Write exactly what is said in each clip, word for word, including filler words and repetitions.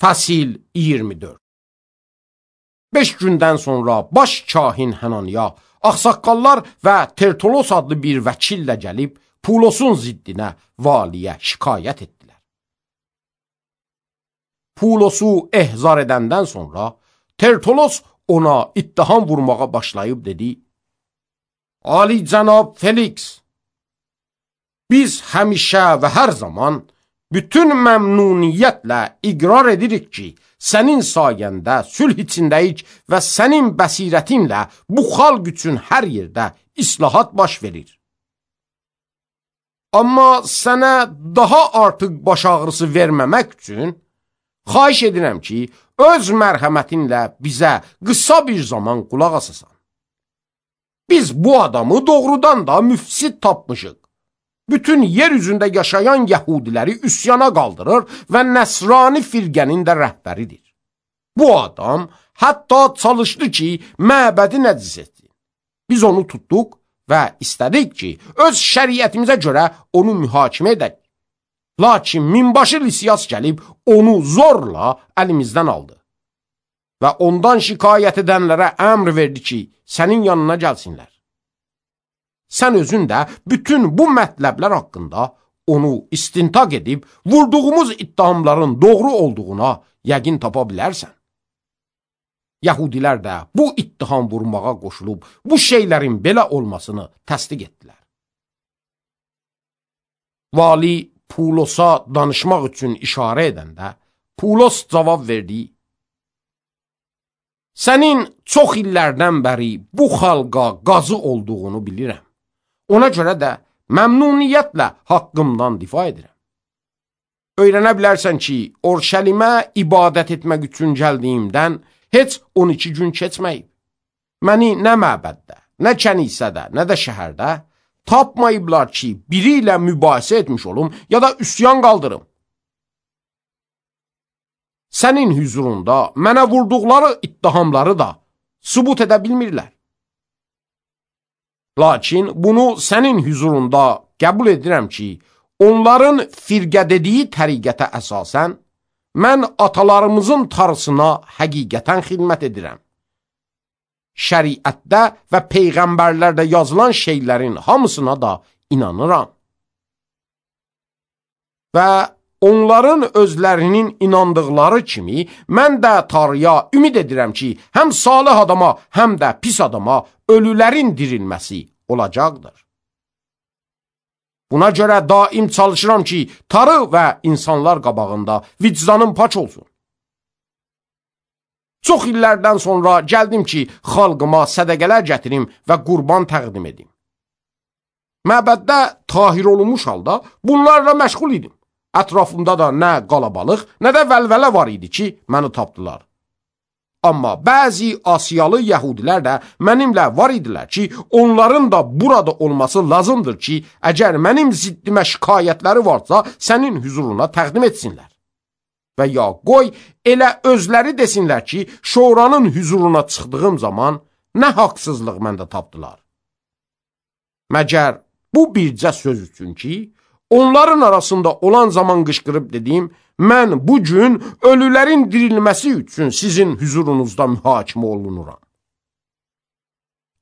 Fəsil iyirmi dörd. Beş gündən sonra baş kahin Hananiya, ağsaqqallar və Tertulos adlı bir vəkillə gəlib Pulosun ziddinə valiyə şikayət etdilər. Pulosu ehzar edəndən sonra Tertulos ona ittiham vurmağa başlayıb dedi: Ali cənab Felix, biz həmişə və hər zaman bütün məmnuniyyətlə iqrar edirik ki, sənin sayəndə sülh içindəyik və sənin bəsirətinlə bu xalq üçün hər yerdə islahat baş verir. Amma sənə daha artıq baş ağrısı verməmək üçün xahiş edirəm ki, öz mərhəmətinlə bizə qısa bir zaman qulaq asasan. Biz bu adamı doğrudan da müfsid tapmışıq. Bütün yer üzündə yaşayan Yahudiləri üsyana qaldırır və Nəsrani firqənin də rəhbəridir. Bu adam hətta çalışdı ki, məbədi nəcis etsin. Biz onu tutduq və istədik ki, öz şəriətimizə görə onu mühakimə edək. Lakin minbaşı Lisiyas gəlib onu zorla əlimizdən aldı və ondan şikayət edənlərə əmr verdi ki, sənin yanına gəlsinlər. Sən özün də bütün bu mətləblər haqqında onu istintaq edib, vurduğumuz ittihamların doğru olduğuna yəqin tapa bilərsən. Yahudilər də bu ittiham vurmağa qoşulub, bu şeylərin belə olmasını təsdiq etdilər. Vali Pulosa danışmaq üçün işarə edəndə, Pulos cavab verdi: Sənin çox illərdən bəri bu xalqa qazı olduğunu bilirəm. Ona görə də məmnuniyyətlə haqqımdan difa edirəm. Öyrənə bilərsən ki, Orşəlimə ibadət etmək üçün gəldiyimdən heç on iki gün keçməyib. Məni nə məbəddə, nə kənisədə, nə də şəhərdə tapmayıblar ki, biri ilə mübahisə etmiş olum ya da üsyan qaldırım. Sənin hüzurunda mənə vurduqları ittihamları da sübut edə bilmirlər. Lakin bunu sənin hüzurunda qəbul edirəm ki, onların firqə dediyi təriqətə əsasən, mən atalarımızın tarısına həqiqətən xidmət edirəm. Şəriətdə və peyğəmbərlərdə yazılan şeylərin hamısına da inanıram. Və onların özlərinin inandıqları kimi, mən də Tanrıya ümid edirəm ki, həm salih adama, həm də pis adama ölülərin dirilməsi olacaqdır. Buna görə daim çalışıram ki, Tanrı və insanlar qabağında vicdanım paç olsun. Çox illərdən sonra gəldim ki, xalqıma sədəqələr gətirim və qurban təqdim edim. Məbəddə tahir olunmuş halda bunlarla məşğul idim. Ətrafımda da nə qalabalıq, nə də vəlvələ var idi ki, məni tapdılar. Amma bəzi Asiyalı Yəhudilər də mənimlə var idilər ki, onların da burada olması lazımdır ki, əgər mənim ziddimə şikayətləri varsa, sənin hüzuruna təqdim etsinlər. Və ya qoy, elə özləri desinlər ki, şoranın hüzuruna çıxdığım zaman nə haqsızlıq məndə tapdılar. Məgər bu bircə söz üçün ki, onların arasında olan zaman qışqırıb dediyim, mən bu gün ölülərin dirilməsi üçün sizin hüzurunuzda mühakimə olunuram.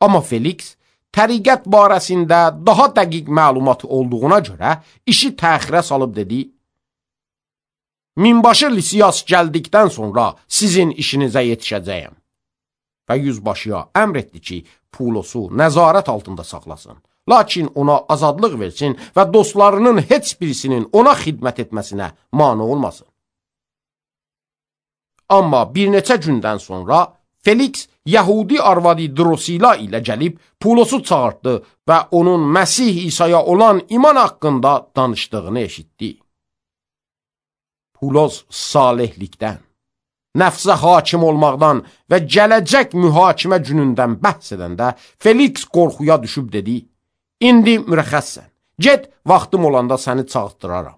Amma Felix, təriqət barəsində daha dəqiq məlumat olduğuna görə işi təxirə salıb dedi: Minbaşı Lisiyas gəldikdən sonra sizin işinizə yetişəcəyəm. Və yüzbaşıya əmr etdi ki, Pulosu nəzarət altında saxlasın. Lakin ona azadlıq versin və dostlarının heç birisinin ona xidmət etməsinə mane olmasın. Amma bir neçə gündən sonra Felix Yahudi arvadı Drosila ilə gəlib Pulosu çağırtdı və onun Məsih İsa'ya olan iman haqqında danışdığını eşitdi. Pulos salihlikdən, nəfsə hakim olmaqdan və gələcək mühakimə günündən bəhs edəndə Felix qorxuya düşüb dedi: İndi mürəxəssən, get, vaxtım olanda səni çağırtdıraram.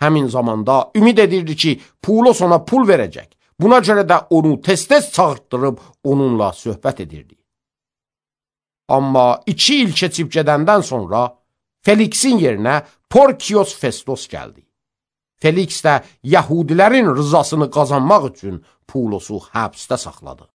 Həmin zamanda ümid edirdi ki, Pulos ona pul verəcək. Buna görə də onu tez-tez çağırtdırıb onunla söhbət edirdi. Amma iki il keçib gedəndən sonra Felixin yerinə Porkios Festos gəldi. Feliks də Yahudilərin rızasını qazanmaq üçün Pulosu həbsdə saxladı.